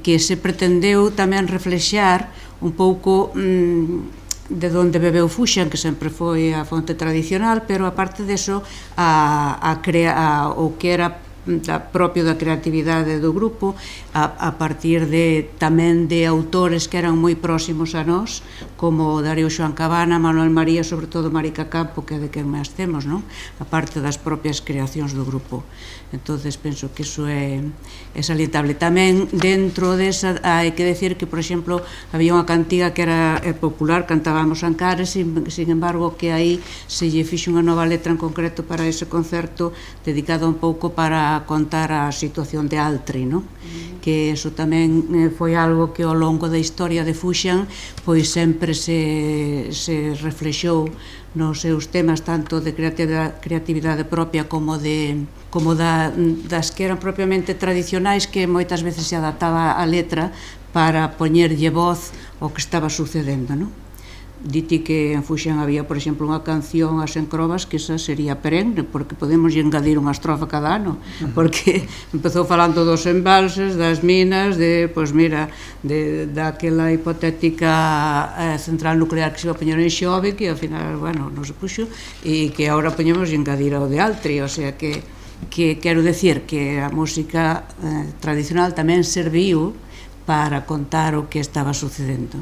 que se pretendeu tamén reflexar un pouco de onde bebeu Fuxan, que sempre foi a fonte tradicional, pero aparte deso o que era propio da creatividade do grupo a partir tamén de autores que eran moi próximos a nós, como Darío Xoán Cabana, Manuel María, sobre todo Marica Campo, que é de quen máis temos, non? A parte das propias creacións do grupo. Entonces penso que iso é salientable. Tamén dentro desa hai que decir que, por exemplo, había unha cantiga que era popular, cantábamos Ancares, sin embargo que aí se lle fixo unha nova letra en concreto para ese concerto, dedicado un pouco para contar a situación de Altri, non? Que iso tamén foi algo que ao longo da historia de Fuxan pois sempre se reflexou nos seus temas, tanto de creatividade propia como das que eran propiamente tradicionais, que moitas veces se adaptaba a letra para poñerlle voz ao que estaba sucedendo, non? Diti que en Fuxan había, por exemplo, unha canción as encrobas que esa sería perenne, porque podemos engadir unha estrofa cada ano, porque empezou falando dos embalses, das minas, daquela hipotética central nuclear que se iba a poñer en Xove, que ao final, bueno, non se puxo, e que agora poñemos engadir ao de Altri, o sea que quero decir que a música tradicional tamén serviu para contar o que estaba sucedendo.